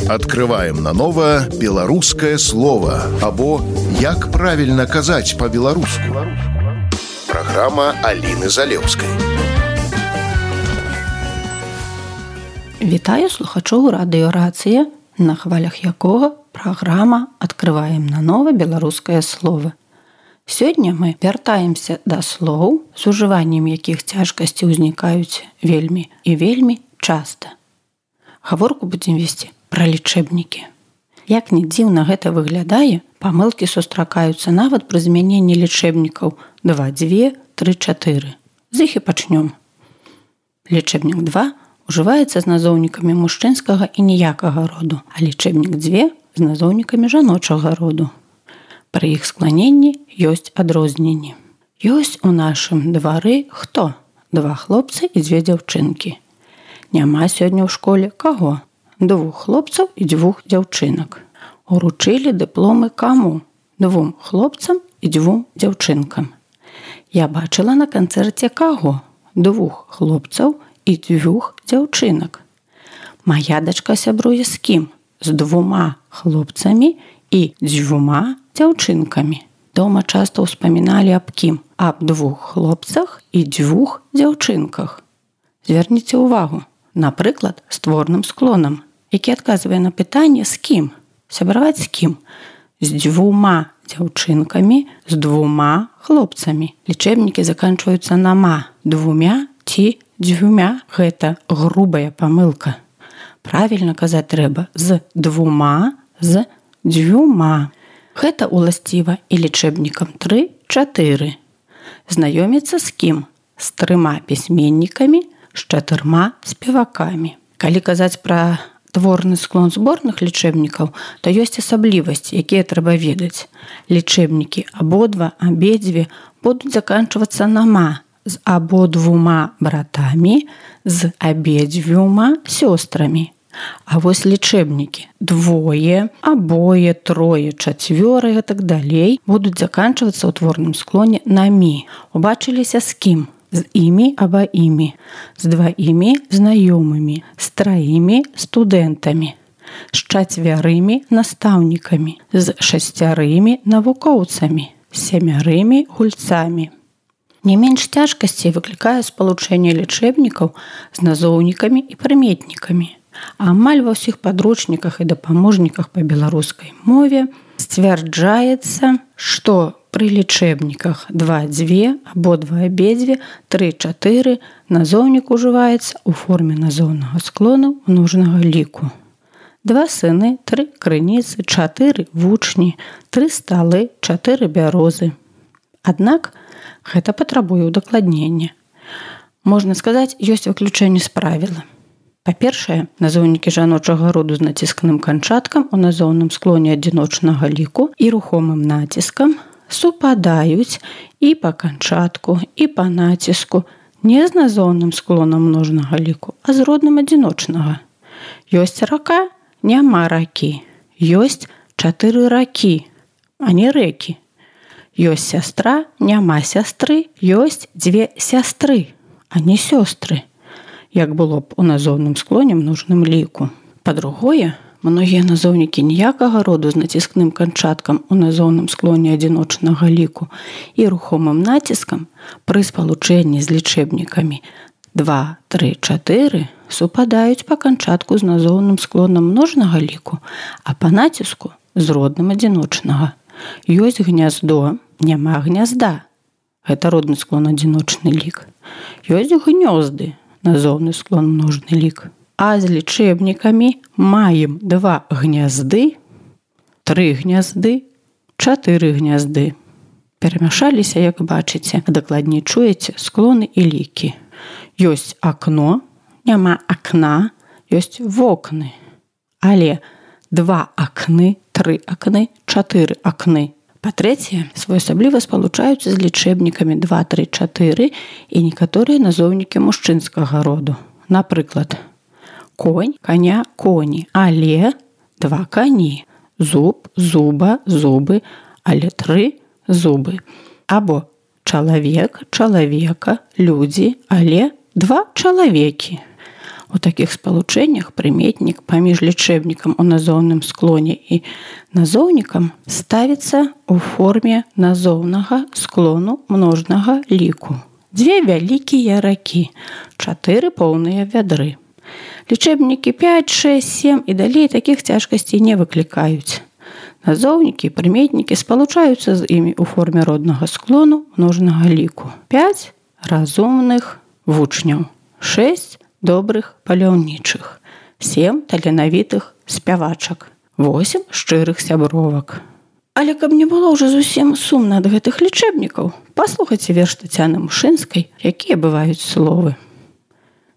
Открываем наново беларускае слово або як правільна казаць па-беларуску. Праграма Аліны Залеўскай. Вітаю слухачоў радыёрацыя, на хвалях якога праграма «Открываем наново беларускае слово». Сёння мы вяртаемся да слоў, з ужываннем якіх цяжкасці ўзнікаюць вельмі і вельмі часта. Гаворку будзем весці пра лічэбнікі. Як ні дзіўна гэта выглядае, памылкі сустракаюцца нават пры змяненні лічэбнікаў 2, 2, 3, 4. З іх і пачнём. Лічэбнік 2 ужываецца з назоўнікамі мужчынскага і ніякага роду, а лічэбнік 2 з назоўнікамі жаночага роду. Пры іх скланенні ёсць адрозненні. Ёсць у нашым двары хто? 2 хлопцы і 2 дзяўчынкі. Няма сёння ў школе каго? 2 хлопцаў і 2 дзяўчынак. Уручылі дыпломы каму? 2 хлопцам і 2 дзяўчынкам. Я бачыла на канцэрце каго? 2 хлопцаў і 2 дзяўчынак. Мая дачка сябруе з кім? З 2 хлопцамі і 2 дзяўчынкамі. Дома часта ўспаміналі аб кім? Аб 2 хлопцах і 2 дзяўчынках. Зверніце ўвагу. Напрыклад, з творным склонам, які адказвае на пытанне з кім? Сябраваць з кім? З 2 дзяўчынкамі, з 2 хлопцамі. Лічэбнікі заканчваюцца на ма. 2 ці 2. Гэта грубая памылка. Правільна казаць трэба з 2, з 2. Гэта уласціва і лічэбнікам 3, 4. Знаёміцца з кім? З 3 пісьменнікамі, з 4 спевакамі. Калі казаць пра творны склон зборных лічэбнікаў, то ёсць асаблівасці, якія трэба ведаць. Лічэбнікі абодва, абедзве будуць заканчвацца на ма, з абодвума братамі, з абедзвюма сёстрамі. А вось лічэбнікі 2, абое, 3, 4 і так далей будуць заканчвацца ў творным склоне на мі. Убачыліся з кім? З імі аба імі, з 2 знаёмымі, з 3 студэнтамі, з 4 настаўнікамі, з 6 навукоўцамі, з 7 гульцамі. Не менш цяжкасцей выклікае спалучэнне лічэбнікаў з назоўнікамі і прыметнікамі. Амаль ва ўсіх падручніках і дапаможніках па беларускай мове сцвярджаецца, што пры лічэбніках 2, 2, абодва, абедзве, 3, 4 назоўнік ужываецца ў форме назоўнага склону множнага ліку. 2 сыны, 3 крыніцы, 4 вучні, 3 сталы, 4 бярозы. Аднак гэта патрабуе ўдакладнення. Можна сказаць, ёсць выключэнне з правіла. Па-першае, назоўнікі жаночага роду з націсканым канчаткам у назоўным склоне адзіночнага ліку і рухомым націскам супадаюць і па канчатку, і па націску не з назоўным склонам множнага ліку, а з родным адзіночнага. Ёсць рака, няма ракі. Ёсць 4 ракі, а не рэкі. Ёсць сястра, няма сястры. Ёсць 2 сястры, а не сёстры, як было б у назоўным склоне множным ліку. Па-другое, многія назоўнікі ніякага роду з націскным канчаткам у назоўным склоне адзіночнага ліку і рухомым націскам пры спалучэнні з лічэбнікамі 2, 3, 4 супадаюць па канчатку з назоўным склонам множнага ліку, а па націску з родным адзіночнага. Ёсць гняздо, няма гнязда. Гэта родны склон адзіночны лік. Ёсць гнёзды, назоўны склон множны лік. А з лічэбнікамі маем 2 гнязды, 3 гнязды, 4 гнязды. Перамяшаліся, як бачыце, а дакладней чуеце склоны і лікі. Ёсць акно, няма акна, ёсць вокны. Але 2 акны, 3 акны, 4 акны. Па-трэцяе, своеасабліва спалучаюцца з лічэбнікамі 2, 3, 4 і некаторыя назоўнікі мужчынскага роду. Напрыклад, конь, коня, коні, але 2 кані. Зуб, зуба, зубы, але 3 зубы. Або чалавек, чалавека, людзі, але 2 чалавекі. У такіх спалучэннях прыметнік паміж лічэбнікам у назоўным склоне і назоўнікам ставіцца ў форме назоўнага склону множнага ліку. 2 вялікія ракі, 4 поўныя вядры. Лічэбнікі 5, 6, 7 і далей такіх цяжкасцей не выклікаюць. Назоўнікі і прыметнікі спалучаюцца з імі ў форме роднага склону множнага ліку. 5 разумных вучняў, 6 добрых паляўнічых, 7 таленавітых спявачак, 8 шчырых сябровак. Але каб не было ўжо зусім сумна ад гэтых лічэбнікаў, паслухайце верш Тацяны Мушынскай, якія бываюць словы.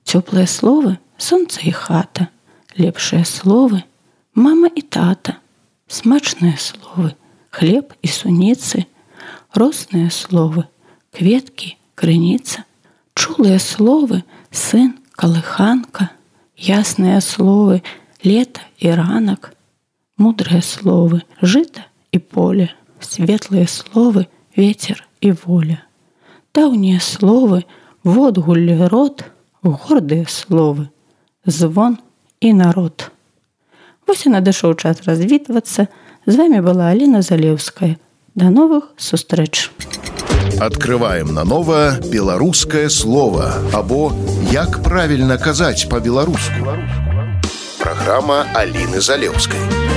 Цёплыя словы – сонца і хата, лепшыя словы – мама і тата, смачныя словы – хлеб і суніцы, росныя словы – кветкі, крыніца, чулыя словы – сын, калыханка, ясныя словы – лета і ранак, мудрыя словы – жыта і поле, светлыя словы – ветер і воля, даўнія словы – водгулле род, гордыя словы – звон і народ. Вось і надышоў час развітвацца. З вами была Аліна Залеўская. До новых сустрэч. Открываем наново беларускае слово або як правільна казаць па-беларуску. Праграма Аліны Залеўскай.